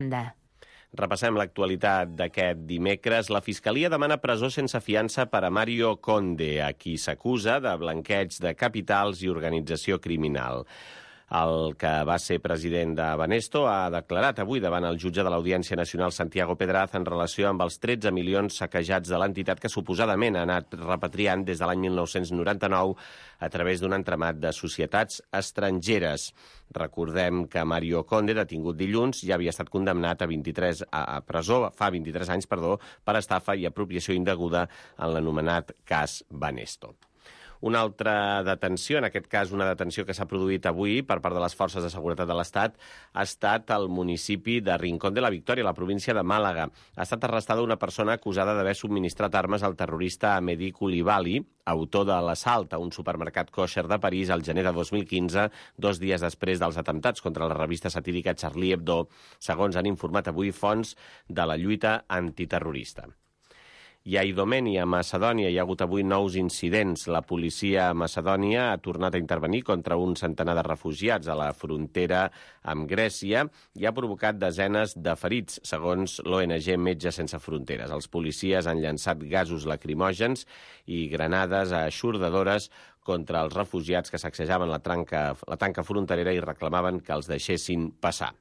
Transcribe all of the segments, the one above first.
De... Repassem l'actualitat d'aquest dimecres. La Fiscalia demana presó sense fiança per a Mario Conde, a qui s'acusa de blanqueig de capitals i organització criminal. El que va ser president de Banesto ha declarat avui davant el jutge de l'Audiència Nacional Santiago Pedraz en relació amb els 13 milions saquejats de l'entitat que suposadament ha anat repatriant des de l'any 1999 a través d'un entramat de societats estrangeres. Recordem que Mario Conde, detingut dilluns, ja havia estat condemnat a presó fa 23 anys per estafa i apropiació indeguda en l'anomenat cas Banesto. Una altra detenció, en aquest cas una detenció que s'ha produït avui per part de les forces de seguretat de l'Estat, ha estat al municipi de Rincón de la Victòria, a la província de Màlaga. Ha estat arrestada una persona acusada d'haver subministrat armes al terrorista Mehdi Coulibaly, autor de l'assalt a un supermercat kosher de París al gener de 2015, 2 dies després dels atemptats contra la revista satírica Charlie Hebdo, segons han informat avui fonts de la lluita antiterrorista. I a Idomeni, a Macedònia, hi ha hagut avui nous incidents. La policia a Macedònia ha tornat a intervenir contra un centenar de refugiats a la frontera amb Grècia i ha provocat desenes de ferits, segons l'ONG Metges Sense Fronteres. Els policies han llançat gasos lacrimògens i granades eixordadores contra els refugiats que sacsejaven la tanca fronterera i reclamaven que els deixessin passar.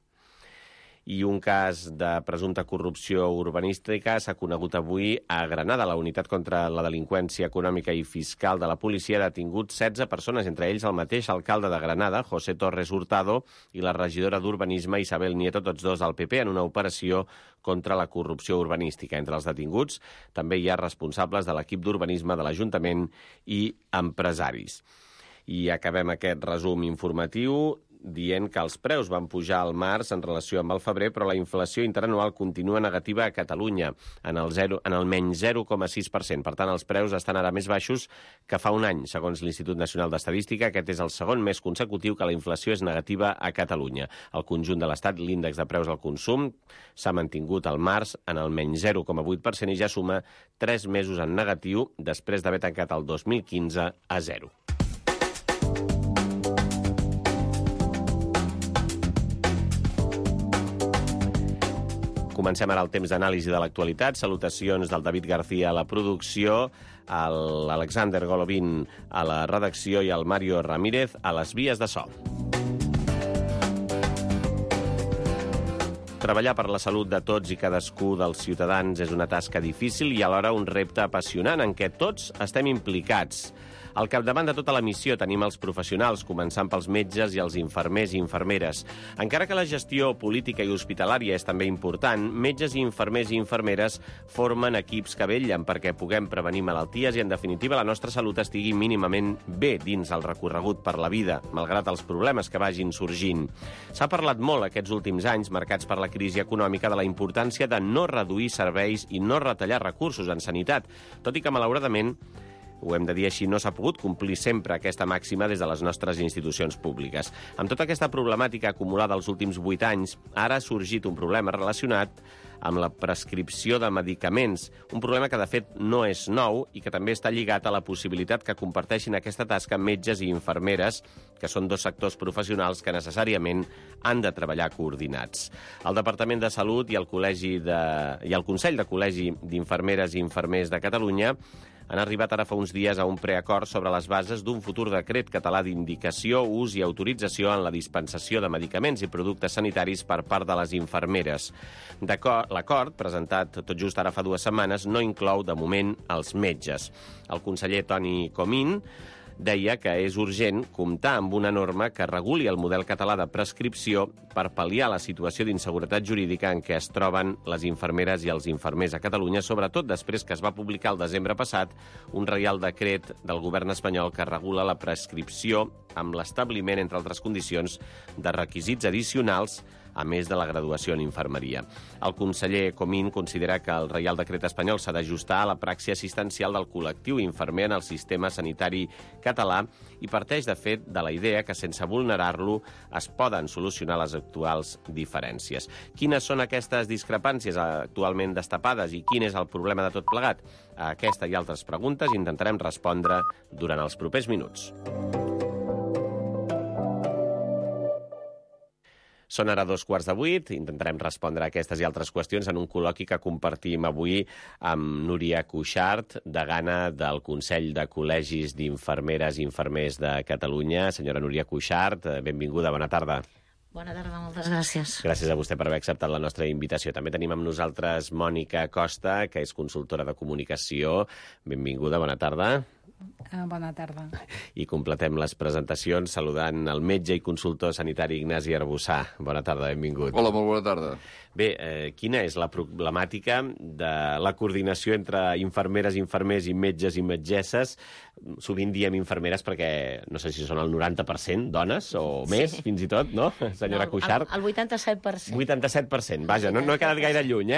I un cas de presumpta corrupció urbanística s'ha conegut avui a Granada. La unitat contra la delinqüència econòmica i fiscal de la policia ha detingut 16 persones, entre ells el mateix alcalde de Granada, José Torres Hurtado, i la regidora d'Urbanisme, Isabel Nieto, tots dos del PP, en una operació contra la corrupció urbanística. Entre els detinguts també hi ha responsables de l'equip d'urbanisme de l'Ajuntament i empresaris. I acabem aquest resum informatiu dient que els preus van pujar al març en relació amb el febrer, però la inflació interanual continua negativa a Catalunya, en el menys 0,6%. Per tant, els preus estan ara més baixos que fa un any. Segons l'Institut Nacional d'Estadística, aquest és el segon mes consecutiu que la inflació és negativa a Catalunya. Al conjunt de l'Estat, l'índex de preus al consum s'ha mantingut al març en el menys 0,8% i ja suma 3 mesos en negatiu després d'haver tancat el 2015 a 0. Comencem ara el temps d'anàlisi de l'actualitat. Salutacions del David García a la producció, a l'Alexander Golovin a la redacció i al Mario Ramírez a les vies de so. Treballar per la salut de tots i cadascú dels ciutadans és una tasca difícil i alhora un repte apassionant en què tots estem implicats. Al capdavant de tota la missió tenim els professionals, començant pels metges i els infermers i infermeres. Encara que la gestió política i hospitalària és també important, metges i infermeres formen equips que vetllen perquè puguem prevenir malalties i, en definitiva, la nostra salut estigui mínimament bé dins el recorregut per la vida, malgrat els problemes que vagin sorgint. S'ha parlat molt aquests últims anys, marcats per la crisi econòmica, de la importància de no reduir serveis i no retallar recursos en sanitat, tot i que, malauradament, ho hem de dir així, no s'ha pogut complir sempre aquesta màxima des de les nostres institucions públiques. Amb tota aquesta problemàtica acumulada els últims 8 anys, ara ha sorgit un problema relacionat amb la prescripció de medicaments, un problema que de fet no és nou i que també està lligat a la possibilitat que comparteixin aquesta tasca metges i infermeres, que són dos sectors professionals que necessàriament han de treballar coordinats. El Departament de Salut i el Consell de Col·legi d'Infermeres i Infermers de Catalunya han arribat ara fa uns dies a un preacord sobre les bases d'un futur decret català d'indicació, ús i autorització en la dispensació de medicaments i productes sanitaris per part de les infermeres. L'acord, presentat tot just ara fa 2 setmanes, no inclou, de moment, els metges. El conseller Toni Comín deia que és urgent comptar amb una norma que reguli el model català de prescripció per pal·liar la situació d'inseguretat jurídica en què es troben les infermeres i els infermers a Catalunya, sobretot després que es va publicar el desembre passat un reial decret del govern espanyol que regula la prescripció amb l'establiment, entre altres condicions, de requisits addicionals a més de la graduació en infermeria. El conseller Comín considera que el Reial Decret espanyol s'ha d'ajustar a la praxi assistencial del col·lectiu infermer en el sistema sanitari català i parteix, de fet, de la idea que sense vulnerar-lo es poden solucionar les actuals diferències. Quines són aquestes discrepàncies actualment destapades i quin és el problema de tot plegat? A aquesta i altres preguntes intentarem respondre durant els propers minuts. Són ara 2:15. Intentarem respondre a aquestes i altres qüestions en un col·loqui que compartim avui amb Núria Cuixart, degana del Consell de Col·legis d'Infermeres i Infermers de Catalunya. Senyora Núria Cuixart, benvinguda, bona tarda. Bona tarda, moltes gràcies. Gràcies a vostè per haver acceptat la nostra invitació. També tenim amb nosaltres Mònica Costa, que és consultora de comunicació. Benvinguda, bona tarda. Bona tarda. I completem les presentacions saludant el metge i consultor sanitari Ignasi Arbussà. Bona tarda, benvingut. Hola, molt bona tarda. Bé, quina és la problemàtica de la coordinació entre infermeres, infermers i metges i metgesses? Sovint diem infermeres perquè no sé si són el 90% dones o més, fins i tot, no, senyora Cuixart? El 87%. 87%, vaja, no he quedat gaire lluny,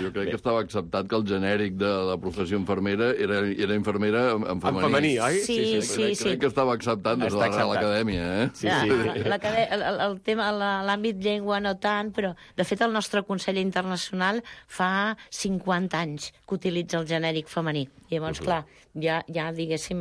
Jo crec que estava acceptat que el genèric de la professió infermera era infermera en femení. En femení, oi? Sí. Crec que estava acceptat des de l'acadèmia, Sí. El tema, l'àmbit llengua no tant, però de fet el nostre Consell Internacional fa 50 anys que utilitza el genèric femení. I llavors, clar, ja diguéssim,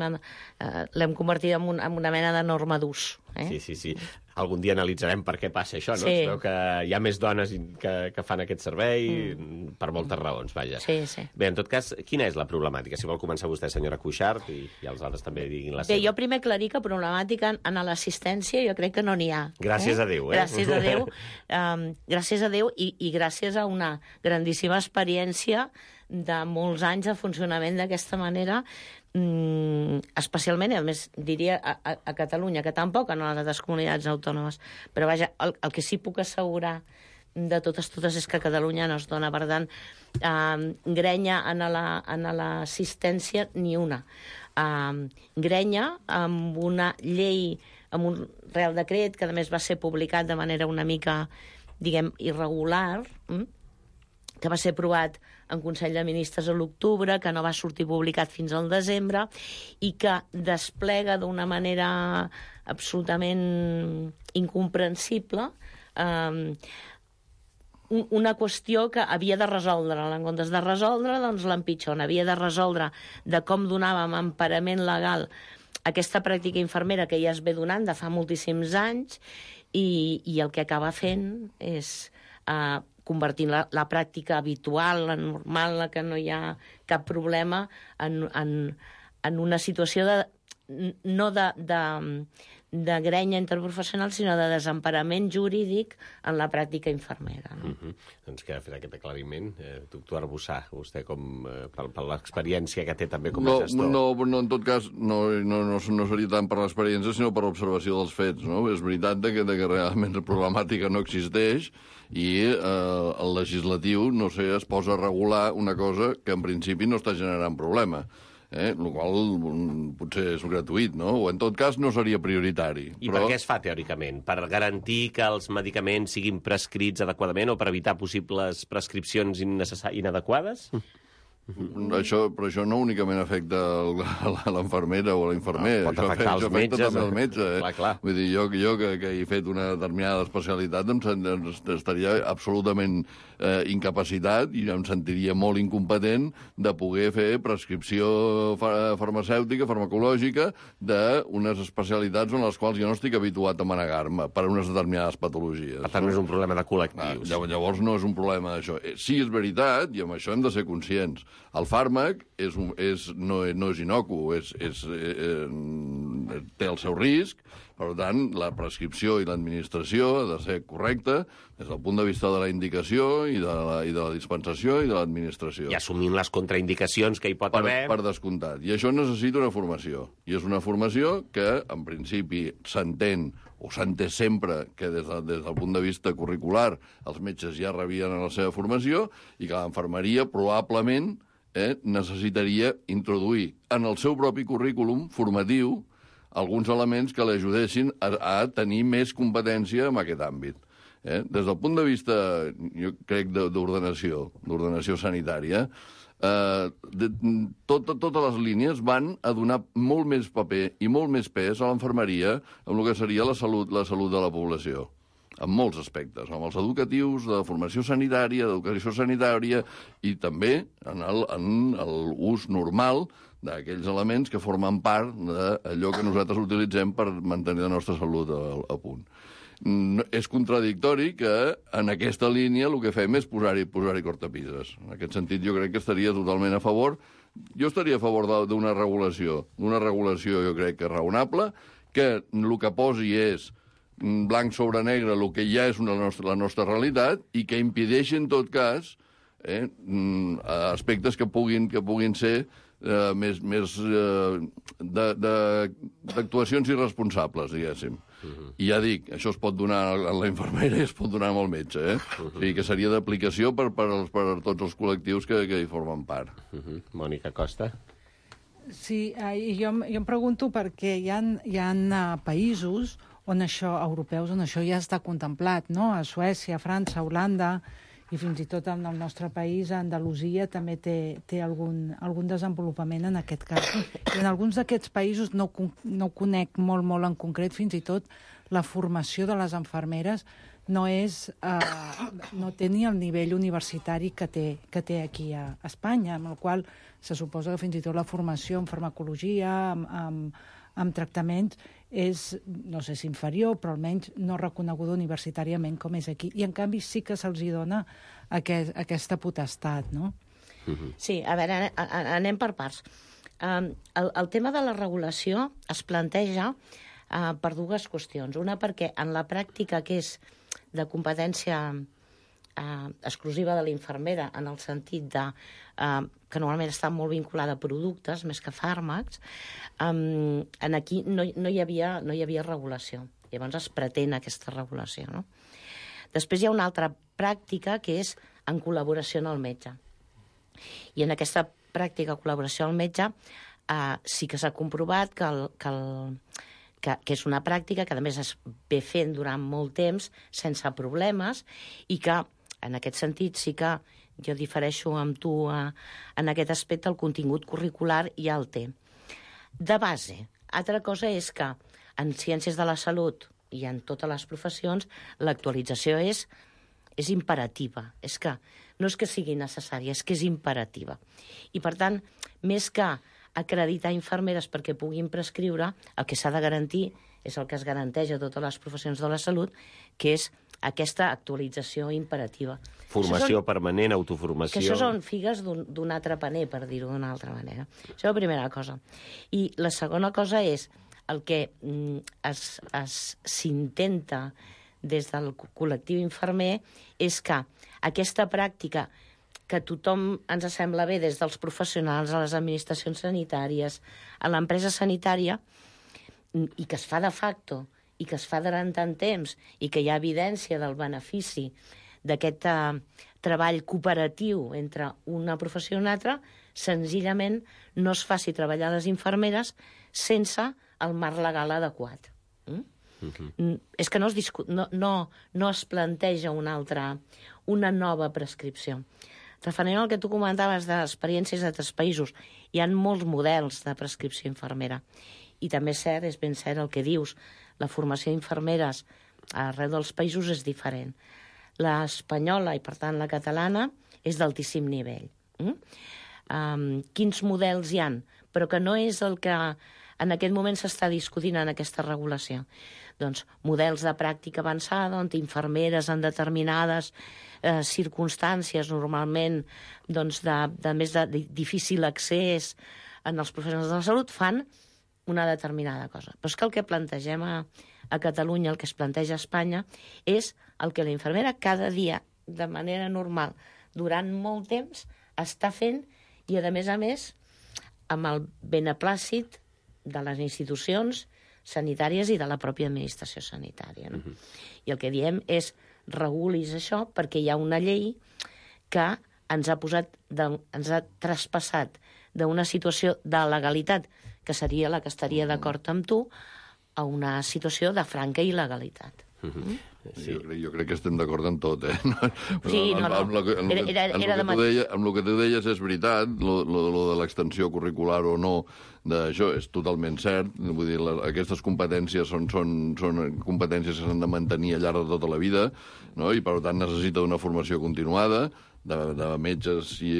l'hem convertit en una mena de norma d'ús. Sí. Algun dia analitzarem per què passa això, no? Sí. Es veu que hi ha més dones que fan aquest servei per moltes raons, vaja. Sí. Bé, en tot cas, quina és la problemàtica? Si vol començar vostè, senyora Cuixart, i els altres també diguin la seva. Bé, jo primer aclarir que problemàtica en l'assistència jo crec que no n'hi ha. Gràcies a Déu, Gràcies a Déu. Gràcies a Déu i gràcies a una grandíssima experiència de molts anys de funcionament d'aquesta manera, especialment, i a més diria a Catalunya, que tampoc en les altres comunitats autònomes. Però vaja, el que sí puc assegurar de totes és que a Catalunya no es dona. Per tant, grenya en l'assistència ni una. Grenya amb una llei, amb un Real Decret, que a més va ser publicat de manera una mica, diguem, irregular, que va ser aprovat en Consell de Ministres a l'octubre, que no va sortir publicat fins al desembre, i que desplega d'una manera absolutament incomprensible una qüestió que havia de resoldre. En comptes de resoldre, doncs l'empitjona. Havia de resoldre de com donàvem emparament legal a aquesta pràctica infermera que ja es ve donant de fa moltíssims anys, i el que acaba fent és convertint la pràctica habitual, la normal, la que no hi ha cap problema, en una situació no de grenya interprofessional, sinó de desemparament jurídic en la pràctica infermera. No? Doncs queda fet aquest aclariment. Doctor Arbussà, vostè per l'experiència que té també com a gestor. No, en tot cas, no seria tant per l'experiència, sinó per l'observació dels fets. No? És veritat que realment la problemàtica no existeix i el legislatiu, no sé, es posa a regular una cosa que en principi no està generant problema. El qual potser és gratuït, no? O en tot cas no seria prioritari. I per què es fa, teòricament? Per garantir que els medicaments siguin prescrits adequadament o per evitar possibles prescripcions inadequades? Però això no únicament afecta l'infermera o l'infermer. Pot afectar els metges. També el metge. Clar. Vull dir, jo que he fet una determinada especialitat estaria absolutament incapacitat i em sentiria molt incompetent de poder fer prescripció farmacèutica, farmacològica, d'unes especialitats en les quals jo no estic habituat a manegar-me per unes determinades patologies. Per tant, no és un problema de col·lectius. Llavors no és un problema d'això. Sí, és veritat, i amb això hem de ser conscients. El fàrmac no és inocu, té el seu risc, per tant, la prescripció i l'administració ha de ser correcta des del punt de vista de la indicació i de la dispensació i de l'administració. I assumint les contraindicacions que hi pot haver. Per descomptat. I això necessita una formació. I és una formació que, en principi, s'entén o s'ha entès sempre que des del punt de vista curricular els metges ja rebien la seva formació i que l'infermeria probablement necessitaria introduir en el seu propi currículum formatiu alguns elements que l'ajudessin a tenir més competència en aquest àmbit. Des del punt de vista, jo crec, d'ordenació sanitària, totes les línies van a donar molt més paper i molt més pes a l'infermeria en el que seria la salut de la població, en molts aspectes, amb els educatius, de formació sanitària, d'educació sanitària i també en l'ús normal d'aquells elements que formen part d'allò que nosaltres utilitzem per mantenir la nostra salut a punt. és contradictori que en aquesta línia el que fem és posar-hi cortapises. En aquest sentit, jo crec que estaria totalment a favor. Jo estaria a favor d'una regulació jo crec que raonable, que el que posi és blanc sobre negre el que ja és la nostra realitat i que impedeixi, en tot cas, aspectes que puguin ser més d'actuacions irresponsables, diguéssim. I ja dic, això es pot donar a la infermera i es pot donar al metge, O sigui, que seria d'aplicació per tots els col·lectius que hi formen part. Mònica Costa. Sí, jo em pregunto perquè hi ha països europeus on això ja està contemplat, no? A Suècia, França, Holanda, i fins i tot en el nostre país, a Andalusia, també té algun desenvolupament en aquest cas. I en alguns d'aquests països, no conec molt en concret, fins i tot la formació de les infermeres no té ni el nivell universitari que té aquí a Espanya, amb el qual se suposa que fins i tot la formació en farmacologia, amb tractaments, és, no sé si inferior, però almenys no reconeguda universitàriament com és aquí. I, en canvi, sí que se'ls dona aquesta potestat, no? Sí, a veure, anem per parts. El tema de la regulació es planteja per dues qüestions. Una, perquè en la pràctica, que és de competència exclusiva de l'infermera, en el sentit que normalment està molt vinculada a productes més que a fàrmacs, aquí no hi havia regulació. Llavors es pretén aquesta regulació, no? Després hi ha una altra pràctica que és en col·laboració amb el metge. I en aquesta pràctica col·laboració amb el metge sí que s'ha comprovat que és una pràctica que, a més, es ve fent durant molt temps sense problemes i que, en aquest sentit, sí que jo difereixo amb tu en aquest aspecte, el contingut curricular ja el té. De base. Altra cosa és que en ciències de la salut i en totes les professions l'actualització és imperativa. No és que sigui necessària, és que és imperativa. I, per tant, més que acreditar infermeres perquè puguin prescriure, el que s'ha de garantir és el que es garanteix a totes les professions de la salut, que és aquesta actualització imperativa. Formació permanent, autoformació... Que això són figues d'un altre paner, per dir-ho d'una altra manera. Això és la primera cosa. I la segona cosa és el que s'intenta des del col·lectiu infermer és que aquesta pràctica que a tothom ens sembla bé, des dels professionals, a les administracions sanitàries, a l'empresa sanitària, i que es fa de facto, i que es fa durant tant temps, i que hi ha evidència del benefici d'aquest treball cooperatiu entre una professió i una altra, senzillament no es faci treballar les infermeres sense el marc legal adequat. És que no es planteja una nova prescripció. Referent al que tu comentaves d'experiències d'altres països, hi ha molts models de prescripció infermera. I també és ben cert el que dius, la formació d'infermeres arreu dels països és diferent. L'espanyola, i per tant la catalana, és d'altíssim nivell. Quins models hi han? Però que no és el que en aquest moment s'està discutint en aquesta regulació. Doncs models de pràctica avançada, on infermeres en determinades circumstàncies, normalment de més de difícil accés en els professionals de la salut, fan una determinada cosa. Però és que el que plantegem a Catalunya, el que es planteja a Espanya, és el que la infermera cada dia, de manera normal, durant molt temps, està fent i, a més, amb el beneplàcit de les institucions sanitàries i de la pròpia administració sanitària. No? I el que diem és regulis això perquè hi ha una llei que ens ha traspassat d'una situació de legalitat, que seria la que estaria d'acord amb tu, a una situació de franca il·legalitat. Sí. Jo crec que estem d'acord en tot, Sí, no. Amb el que tu deies és veritat, lo de l'extensió curricular o no d'això és totalment cert. Vull dir, aquestes competències són competències que s'han de mantenir al llarg de tota la vida, no? I per tant necessita una formació continuada de metges i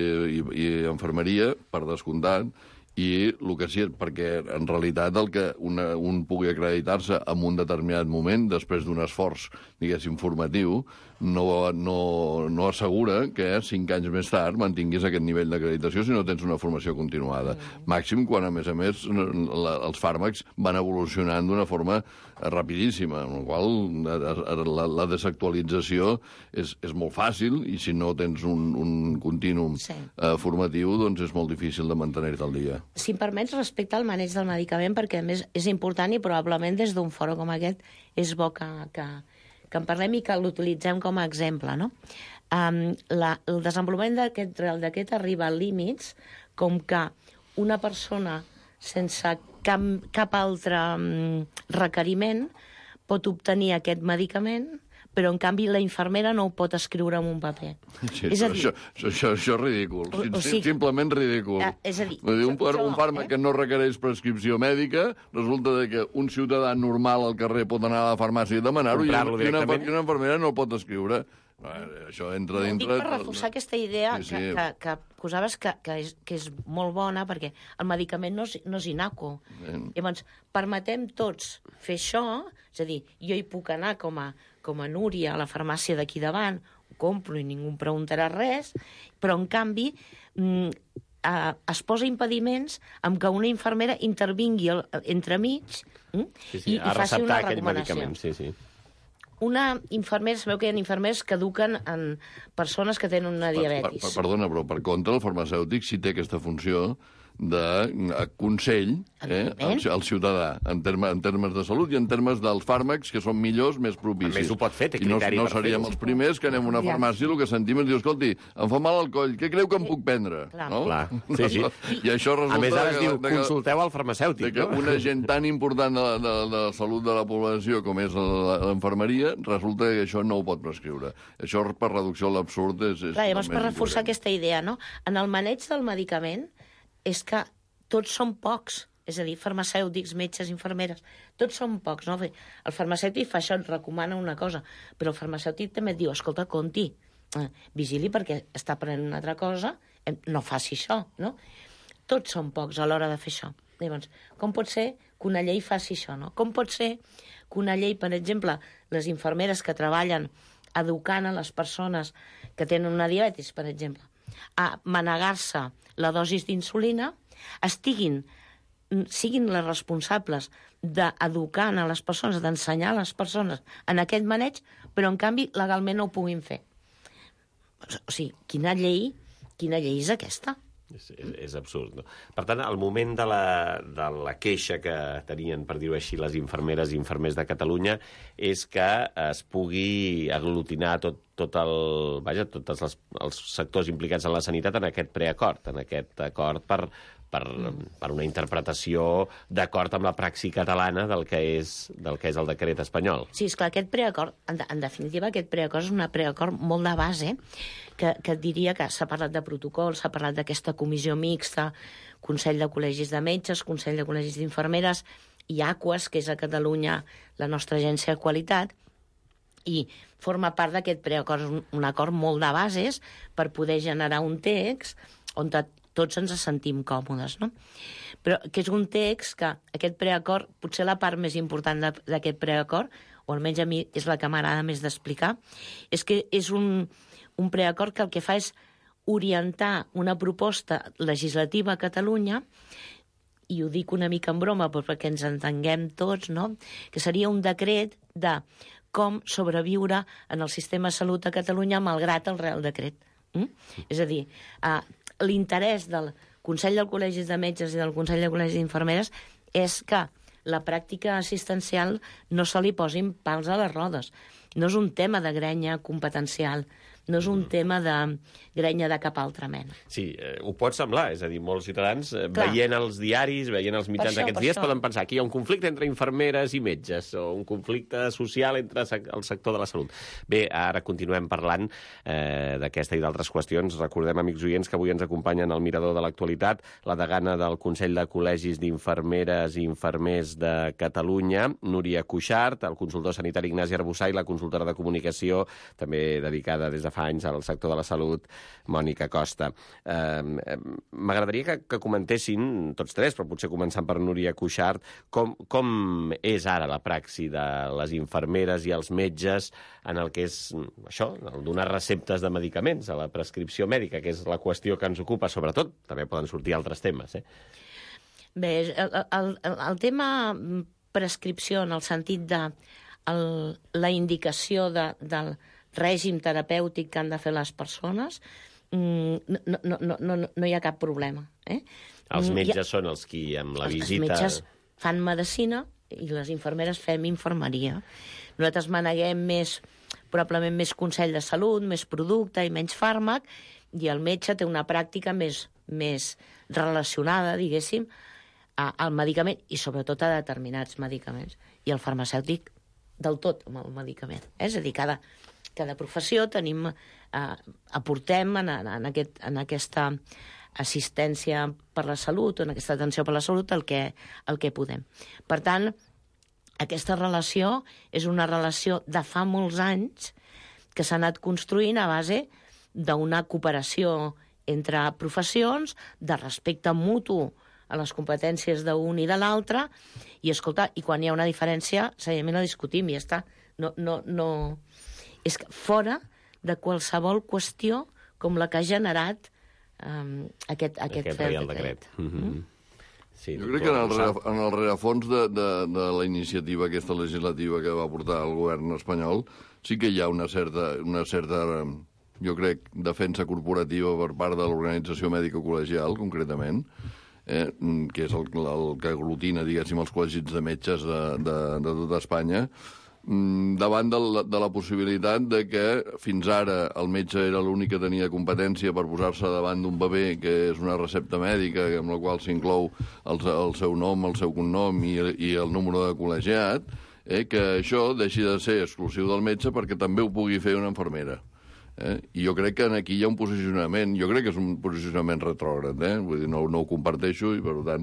infermeria, per descomptat, I el que sí, perquè en realitat el que un pugui acreditar-se en un determinat moment, després d'un esforç, diguéssim, formatiu, no assegura que 5 anys més tard mantinguis aquest nivell d'acreditació si no tens una formació continuada. Màxim quan, a més, els fàrmacs van evolucionant d'una forma rapidíssima, amb la qual la desactualització és molt fàcil i si no tens un contínuum formatiu, doncs és molt difícil de mantenir-te al dia. Si em permets, respecte al maneig del medicament, perquè a més és important i probablement des d'un fòrum com aquest és bo que en parlem i que l'utilitzem com a exemple, no? El desenvolupament d'aquest Reial Decret arriba a límits com que una persona sense cap altre requeriment pot obtenir aquest medicament, però en canvi la infermera no ho pot escriure en un paper. Sí, això és ridícul, simplement ridícul. És a dir... Un fàrmac que no requereix prescripció mèdica, resulta que un ciutadà normal al carrer pot anar a la farmàcia i demanar-ho i una infermera no el pot escriure. Això entra dintre... Ho dic per reforçar aquesta idea que posaves que és molt bona, perquè el medicament no és inacu. Llavors, permetem tots fer això, és a dir, jo hi puc anar com a Núria a la farmàcia d'aquí davant, ho compro i ningú em preguntarà res, però en canvi es posa impediments amb que una infermera intervingui entremig i faci una recomanació. Una infermera, sabeu que hi ha infermers que eduquen en persones que tenen una diabetis. Perdona, però per contra el farmacèutic sí té aquesta funció de consell al ciutadà en termes de salut i en termes dels fàrmacs que són millors, més propicis. A més, ho pot fer, té criteri per fer-ho. No seríem els primers que anem a una farmàcia i el que sentim és dir, escolti, em fa mal el coll, què creu que em puc prendre? Clar. Sí. I això resulta... A més, ara es diu, consulteu al farmacèutic. Que un agent tan important de la salut de la població com és l'infermeria, resulta que això no ho pot prescriure. Això, per reducció a l'absurd, és... Clar, llavors, per reforçar aquesta idea, no? En el maneig del medicament és que tots són pocs, és a dir, farmacèutics, metges, infermeres, tots són pocs, no? El farmacèutic fa això, et recomana una cosa, però el farmacèutic també et diu, escolta, compti, vigili perquè està prenent una altra cosa, no faci això, no? Tots són pocs a l'hora de fer això. Llavors, com pot ser que una llei faci això, no? Com pot ser que una llei, per exemple, les infermeres que treballen educant a les persones que tenen una diabetis, per exemple, a manegar-se la dosis d'insulina, siguin les responsables d'educar a les persones, d'ensenyar a les persones en aquest maneig, però en canvi legalment no ho puguin fer. O sigui, quina llei és aquesta? És absurd, no? Per tant, al moment de la queixa que tenien, per dir-ho així, les infermeres i infermers de Catalunya és que es pugui aglutinar tots els sectors implicats en la sanitat en aquest preacord, en aquest acord per una interpretació d'acord amb la praxi catalana del que és el decret espanyol. Sí, esclar, aquest preacord, en definitiva, aquest preacord és un preacord molt de base, que diria que s'ha parlat de protocol, s'ha parlat d'aquesta comissió mixta, Consell de Col·legis de Metges, Consell de Col·legis d'Infermeres i Aquas, que és a Catalunya la nostra agència de qualitat, i forma part d'aquest preacord, un acord molt de bases per poder generar un text on tots ens sentim còmodes, no? Però que és un text que aquest preacord, potser la part més important d'aquest preacord, o almenys a mi és la que m'agrada més d'explicar, és que és un preacord que el que fa és orientar una proposta legislativa a Catalunya, i ho dic una mica en broma perquè ens entenguem tots, no? Que seria un decret de com sobreviure en el sistema de salut a Catalunya malgrat el Reial Decret. És a dir, l'interès del Consell de Col·legis de Metges i del Consell de Col·legis d'Infermeres és que la pràctica assistencial no se li posin pals a les rodes. No és un tema de grenya competencial, no és un tema de grenya de cap altra mena. Sí, ho pot semblar, és a dir, molts ciutadans veient els diaris, veient els mitjans d'aquests dies, poden pensar que hi ha un conflicte entre infermeres i metges, o un conflicte social entre el sector de la salut. Bé, ara continuem parlant d'aquesta i d'altres qüestions. Recordem, amics oients, que avui ens acompanyen al Mirador de l'Actualitat la degana del Consell de Col·legis d'Infermeres i Infermers de Catalunya, Núria Cuixart, el consultor sanitari Ignasi Arbussà i la consultora de comunicació, també dedicada des de fa anys al sector de la salut, Mònica Costa. M'agradaria que comentessin, tots tres, però potser començant per Núria Cuixart, com és ara la praxi de les infermeres i els metges en el que és això, el donar receptes de medicaments, a la prescripció mèdica, que és la qüestió que ens ocupa, sobretot. També poden sortir altres temes, Bé, el tema prescripció en el sentit de la indicació del règim terapèutic que han de fer les persones, no hi ha cap problema. Els metges són els qui, amb la visita... Els metges fan medicina i les infermeres fem infermeria. Nosaltres maneguem probablement més consell de salut, més producte i menys fàrmac, i el metge té una pràctica més relacionada, diguéssim, al medicament i sobretot a determinats medicaments. I el farmacèutic del tot amb el medicament. És a dir, cada professió aportem en aquesta assistència per la salut o en aquesta atenció per la salut el que podem. Per tant, aquesta relació és una relació de fa molts anys que s'ha anat construint a base d'una cooperació entre professions, de respecte mutu a les competències d'un i de l'altre, i escolta, i quan hi ha una diferència, seriament la discutim i ja està. No... És que fora de qualsevol qüestió com la que ha generat aquest Reial Decret. Sí, jo crec que en el rerefons de la iniciativa aquesta legislativa que va portar el govern espanyol sí que hi ha una certa jo crec, defensa corporativa per part de l'organització mèdica col·legial, concretament, que és el que aglutina, diguéssim, els col·legis de metges de tota Espanya, davant de la possibilitat de que fins ara el metge era l'únic que tenia competència per posar-se davant d'un paper que és una recepta mèdica amb la qual s'inclou el seu nom, el seu cognom i el número de col·legiat, que això deixi de ser exclusiu del metge perquè també ho pugui fer una infermera. I jo crec que aquí hi ha un posicionament, jo crec que és un posicionament retrògrad, vull dir, no ho comparteixo i per tant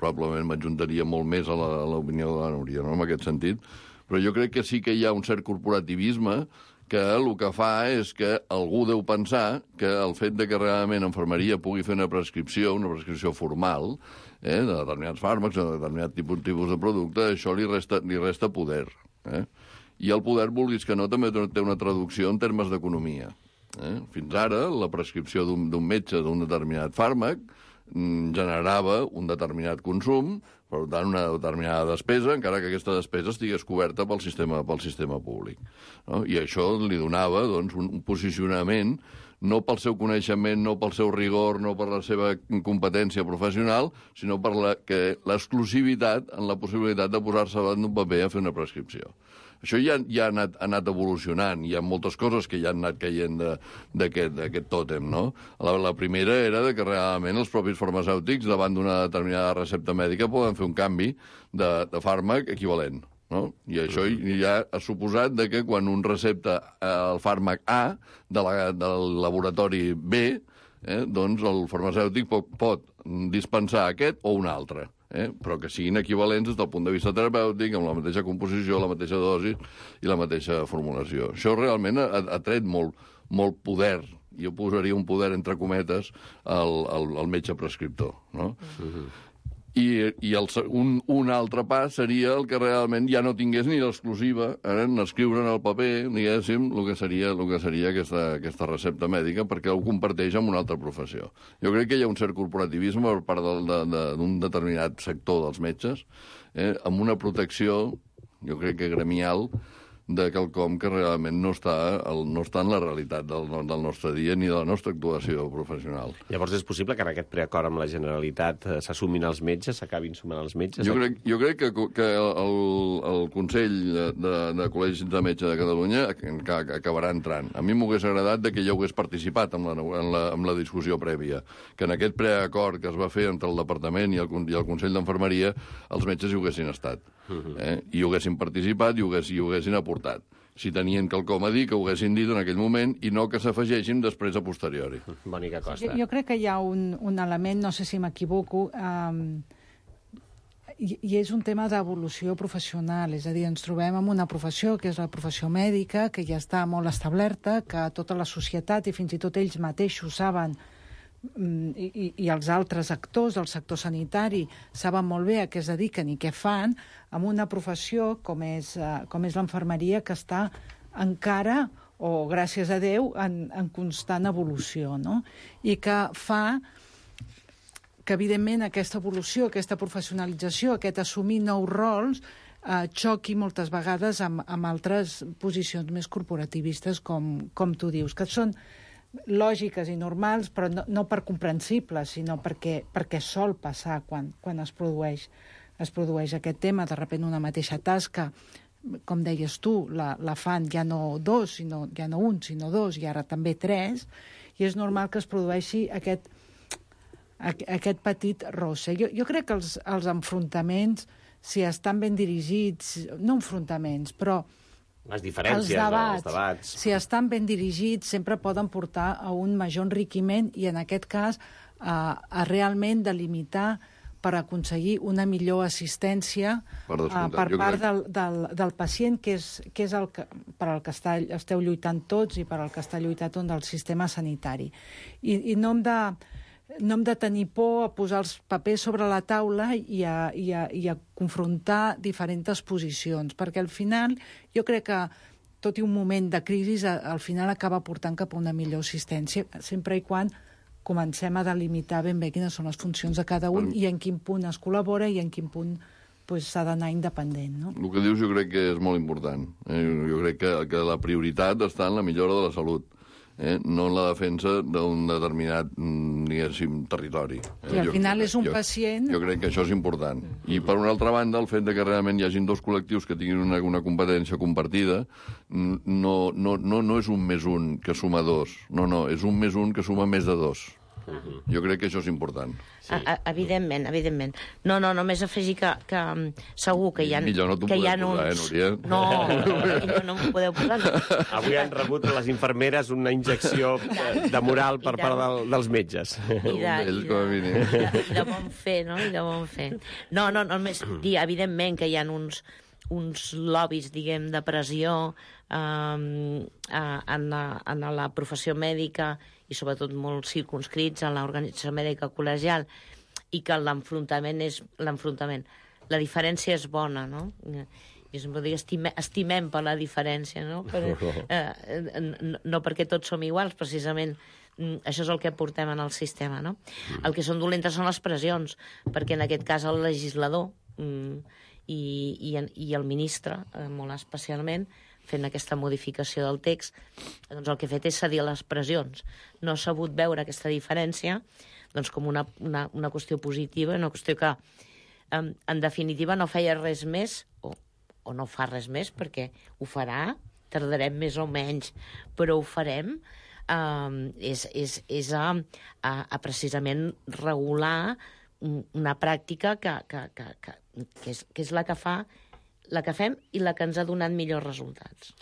probablement m'adjuntaria molt més a l'opinió de la Núria, no?, en aquest sentit, però jo crec que sí que hi ha un cert corporativisme que el que fa és que algú deu pensar que el fet de que realment infermeria pugui fer una prescripció formal, de determinats fàrmacs, de determinat tipus de producte, això li resta poder, i el poder, vulguis que no, també té una traducció en termes d'economia. Fins ara, la prescripció d'un metge d'un determinat fàrmac generava un determinat consum, per tant, una determinada despesa, encara que aquesta despesa estigués coberta pel sistema públic. I això li donava un posicionament no pel seu coneixement, no pel seu rigor, no per la seva competència professional, sinó per l'exclusivitat en la possibilitat de posar-se davant d'un paper a fer una prescripció. Això ja ha anat evolucionant, hi ha moltes coses que ja han anat caient d'aquest tòtem, no? La primera era que realment els propis farmacèutics, davant d'una determinada recepta mèdica, poden fer un canvi de fàrmac equivalent, no? I això ja ha suposat que quan un recepta el fàrmac A del laboratori B, doncs el farmacèutic pot dispensar aquest o un altre, però que siguin equivalents des del punt de vista terapèutic, amb la mateixa composició, la mateixa dosi i la mateixa formulació. Això realment ha tret molt poder, jo posaria un poder entre cometes al metge prescriptor, no? I un altre pas seria el que realment ja no tingués ni l'exclusiva en escriure en el paper, diguéssim, el que seria aquesta recepta mèdica, perquè ho comparteix amb una altra professió. Jo crec que hi ha un cert corporativisme per part d'un determinat sector dels metges, amb una protecció, jo crec que gremial, de quelcom que realment no està en la realitat del nostre dia ni de la nostra actuació professional. Llavors és possible que en aquest preacord amb la Generalitat s'assumin els metges, s'acabin sumant els metges? Jo crec que el Consell de Col·legis de Metge de Catalunya acabarà entrant. A mi m'hagués agradat que jo hagués participat en la discussió prèvia, que en aquest preacord que es va fer entre el Departament i el Consell d'Enfermeria els metges hi haguessin estat. I ho haguessin participat i ho haguessin aportat. Si tenien quelcom a dir, que ho haguessin dit en aquell moment i no que s'afegeixin després a posteriori. Mònica Costa. Jo crec que hi ha un element, no sé si m'equivoco, I és un tema d'evolució professional, és a dir, ens trobem en una professió que és la professió mèdica, que ja està molt establerta, que tota la societat i fins i tot ells mateixos saben, i els altres actors del sector sanitari saben molt bé a què es dediquen i què fan, amb una professió com és l'infermeria, que està encara, o gràcies a Déu, en constant evolució, no? I que fa que, evidentment, aquesta evolució, aquesta professionalització, aquest assumir nous rols, xoqui moltes vegades amb altres posicions més corporativistes, com tu dius, que són lògiques i normals, però no per comprensibles, sinó perquè sol passar quan es produeix aquest tema. De sobte, una mateixa tasca, com deies tu, la fan ja no un, sinó dos, i ara també tres, i és normal que es produeixi aquest petit rosse. Jo crec que els enfrontaments, si estan ben dirigits, no enfrontaments, però les diferències, els debats, si estan ben dirigits, sempre poden portar a un major enriquiment i, en aquest cas, a realment delimitar per aconseguir una millor assistència per part del pacient, que és per al que esteu lluitant tots i per al que està lluitant tot el sistema sanitari. I no hem de tenir por a posar els papers sobre la taula i a confrontar diferents posicions, perquè al final jo crec que tot i un moment de crisi al final acaba portant cap a una millor assistència, sempre i quan comencem a delimitar ben bé quines són les funcions de cada un i en quin punt es col·labora i en quin punt s'ha d'anar independent. No? El que dius jo crec que és molt important. Jo crec que la prioritat està en la millora de la salut, no en la defensa d'un determinat, diguéssim, territori. I al final és un pacient... Jo crec que això és important. I, per una altra banda, el fet de que realment hi hagin dos col·lectius que tinguin una competència compartida no és un més un que suma dos. No, és un més un que suma més de dos. Jo crec que això és important. Sí. Evidentment. No, només afegir que segur que hi ha... Millor no t'ho podeu posar, Núria? No, millor no m'ho podeu posar. Avui han rebut les infermeres una injecció de moral per part dels metges. I de bon fer, no? I de bon fer. No, només dir, evidentment, que hi ha uns lobbies, diguem, de pressió en la professió mèdica i sobretot molt circunscrits a l'organització mèdica col·legial, i que l'enfrontament és l'enfrontament. La diferència és bona, no? Jo sempre dic, estimem per la diferència, no? No perquè tots som iguals, precisament. Això és el que portem en el sistema, no? El que són dolentes són les pressions, perquè en aquest cas el legislador i el ministre, molt especialment, fent aquesta modificació del text, doncs el que ha fet és cedir a les pressions. No ha sabut veure aquesta diferència doncs, com una qüestió positiva, una qüestió que, en definitiva, no feia res més, o no fa res més, perquè ho farà, tardarem més o menys, però ho farem, és a precisament regular una pràctica que és la que fem i la que ens ha donat millors resultats.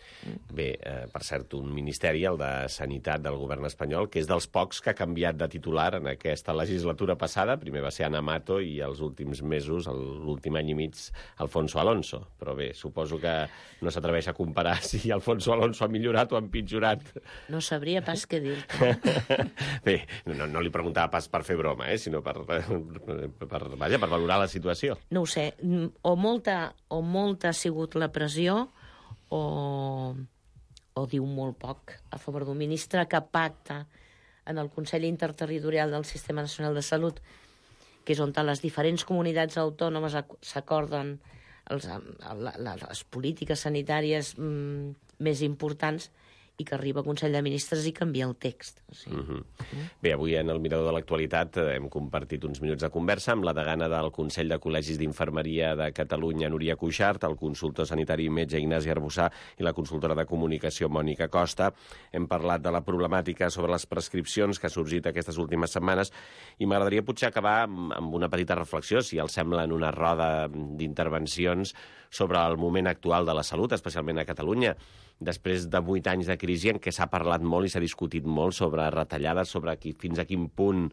Bé, per cert, un ministeri, el de Sanitat del govern espanyol, que és dels pocs que ha canviat de titular en aquesta legislatura passada. Primer va ser Ana Mato i els últims mesos, l'últim any i mig, Alfonso Alonso. Però bé, suposo que no s'atreveix a comparar si Alfonso Alonso ha millorat o ha empitjorat. No sabria pas què dir-te. Bé, no li preguntava pas per fer broma, sinó per valorar la situació. No ho sé, o molta ha sigut la pressió o diu molt poc a favor d'un ministre que pacta en el Consell Interterritorial del Sistema Nacional de Salut, que és on les diferents comunitats autònomes s'acorden les polítiques sanitàries més importants, i que arriba al Consell de Ministres i canvia el text. Bé, avui en el Mirador de l'Actualitat hem compartit uns minuts de conversa amb la degana del Consell de Col·legis d'Infermeria de Catalunya, Núria Cuixart, el consultor sanitari i metge Ignasi Arbussà i la consultora de comunicació Mònica Costa. Hem parlat de la problemàtica sobre les prescripcions que ha sorgit aquestes últimes setmanes i m'agradaria potser acabar amb una petita reflexió, si els sembla, en una roda d'intervencions sobre el moment actual de la salut, especialment a Catalunya, després de 8 anys de crisi en què s'ha parlat molt i s'ha discutit molt sobre retallades, sobre fins a quin punt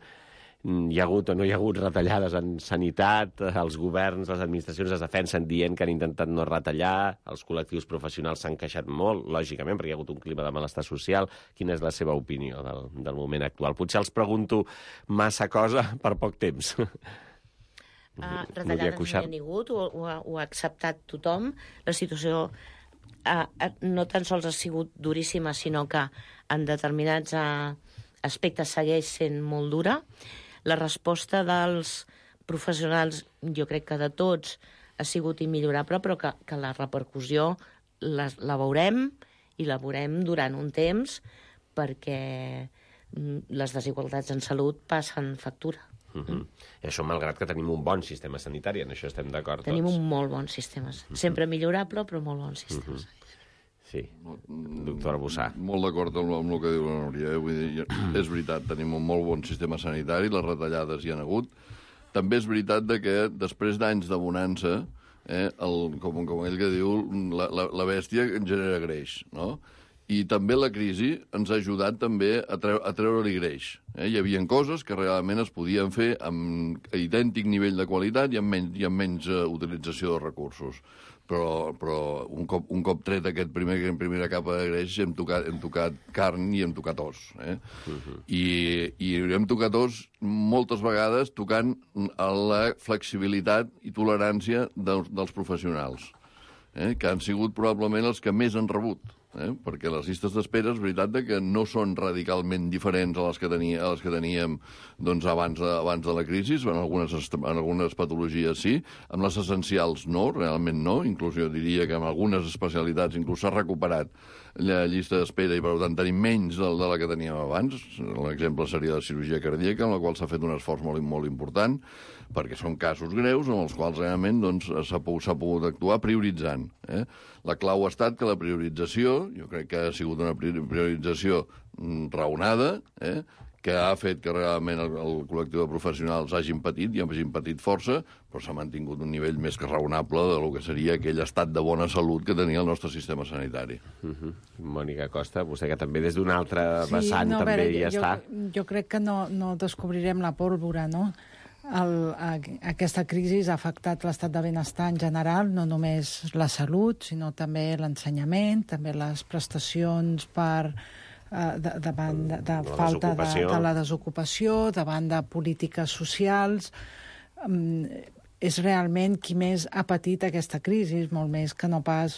hi ha hagut o no hi ha hagut retallades en sanitat, els governs, les administracions es defensen dient que han intentat no retallar, els col·lectius professionals s'han queixat molt, lògicament, perquè hi ha hagut un clima de malestar social. Quina és la seva opinió del moment actual? Potser els pregunto massa cosa per poc temps. Retallades no hi ha hagut, ho ha acceptat tothom. La situació no tan sols ha sigut duríssima, sinó que en determinats aspectes segueix sent molt dura. La resposta dels professionals, jo crec que de tots, ha sigut immillorable, però que la repercussió la veurem i la veurem durant un temps, perquè les desigualtats en salut passen factura. I això malgrat que tenim un bon sistema sanitari, en això estem d'acord tots. Tenim un molt bon sistema, sempre millorable, però molt bon sistema. Sí, doctor Arbussà. Molt d'acord amb el que diu la Núria. Vull dir, és veritat, tenim un molt bon sistema sanitari, les retallades hi han hagut. També és veritat que després d'anys de bonança, com ell que diu, la bèstia genera greix, no? I també la crisi ens ha ajudat també a treure-li greix. Hi havia coses que realment es podien fer amb idèntic nivell de qualitat i amb menys utilització de recursos. Però un cop tret aquest primera capa de greix hem tocat carn i hem tocat os. I hem tocat os moltes vegades tocant a la flexibilitat i tolerància dels professionals, que han sigut probablement els que més han rebut. Perquè les llistes d'espera és veritat que no són radicalment diferents a les que teníem doncs, abans de la crisi, en algunes patologies sí, amb les essencials no, realment no, inclús jo diria que en algunes especialitats inclús s'ha recuperat la llista d'espera i per tant tenim menys de la que teníem abans. L'exemple seria la cirurgia cardíaca, en la qual s'ha fet un esforç molt important, perquè són casos greus en els quals realment doncs, s'ha pogut actuar prioritzant. La clau ha estat que la priorització, jo crec que ha sigut una priorització raonada, que ha fet que realment el col·lectiu de professionals hagin patit, i hagin patit força, però s'ha mantingut un nivell més que raonable de lo que seria aquell estat de bona salut que tenia el nostre sistema sanitari. Mònica Costa, vostè que també des d'un altre vessant també hi està. Jo crec que no descobrirem la pólvora, no? Aquesta crisi ha afectat l'estat de benestar en general, no només la salut, sinó també l'ensenyament, també les prestacions davant de falta de la desocupació, davant de polítiques socials. És realment qui més ha patit aquesta crisi, molt més que no pas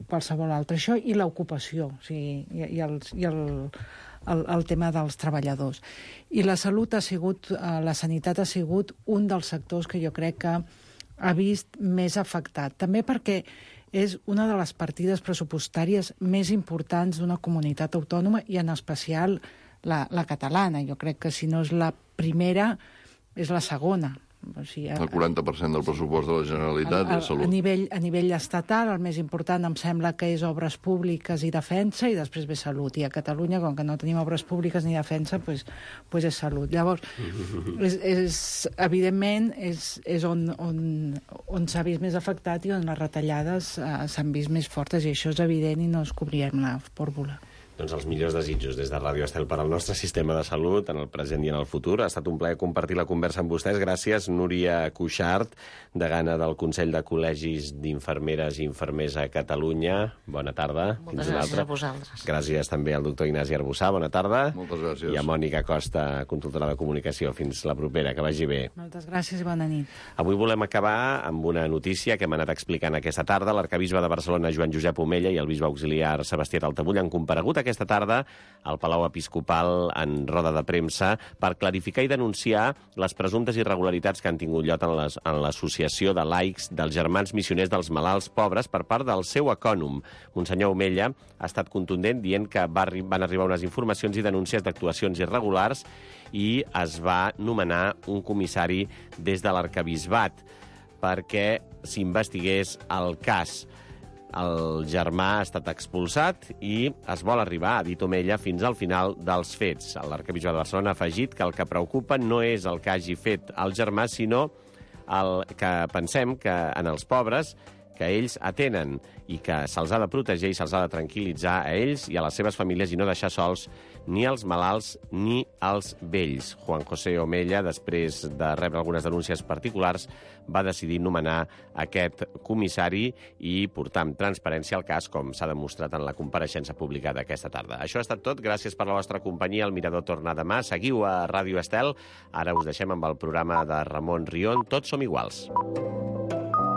qualsevol altre. Això i l'ocupació, o sigui, i el tema dels treballadors. I la salut ha sigut, la sanitat ha sigut un dels sectors que jo crec que ha vist més afectat. També perquè és una de les partides pressupostàries més importants d'una comunitat autònoma i en especial la catalana. Jo crec que si no és la primera, és la segona. O sigui, el 40% del pressupost de la Generalitat és salut. A nivell estatal, el més important em sembla que és obres públiques i defensa, i després ve salut. I a Catalunya, com que no tenim obres públiques ni defensa, pues és salut. Llavors, evidentment, és on s'ha vist més afectat i on les retallades s'han vist més fortes, i això és evident i no es cobrirem la pólvora. Doncs els millors desitjos des de Ràdio Estel per al nostre sistema de salut, en el present i en el futur. Ha estat un plaer compartir la conversa amb vostès. Gràcies, Núria Cuixart, degana del Consell de Col·legis d'Infermeres i Infermers a Catalunya. Bona tarda. Moltes gràcies a vosaltres. Gràcies també al doctor Ignasi Arbussà. Bona tarda. Moltes gràcies. I a Mònica Costa, consultora de comunicació. Fins la propera, que vagi bé. Moltes gràcies i bona nit. Avui volem acabar amb una notícia que hem anat explicant aquesta tarda. L'arcabisbe de Barcelona, Joan Josep Omella, i el bisbe auxiliar Sebastià Taltabull han comparegut aquesta tarda al Palau Episcopal en roda de premsa per clarificar i denunciar les presumptes irregularitats que han tingut lloc en l'associació de laics dels Germans Missioners dels Malalts Pobres per part del seu ecònom. Monsenyor Omella ha estat contundent dient que van arribar unes informacions i denúncies d'actuacions irregulars i es va nomenar un comissari des de l'arcabisbat perquè s'investigués el cas. El germà ha estat expulsat i es vol arribar, ha dit Omella, fins al final dels fets. L'arcabisbe de Barcelona ha afegit que el que preocupa no és el que hagi fet el germà, sinó que pensem que en els pobres que ells atenen i que se'ls ha de protegir i se'ls ha de tranquil·litzar a ells i a les seves famílies i no deixar sols ni els malalts ni els vells. Juan José Omella, després de rebre algunes denúncies particulars, va decidir nomenar aquest comissari i portar amb transparència el cas, com s'ha demostrat en la compareixença publicada aquesta tarda. Això ha estat tot. Gràcies per la vostra companyia. El Mirador torna demà. Seguiu a Ràdio Estel. Ara us deixem amb el programa de Ramon Rion. Tots som iguals.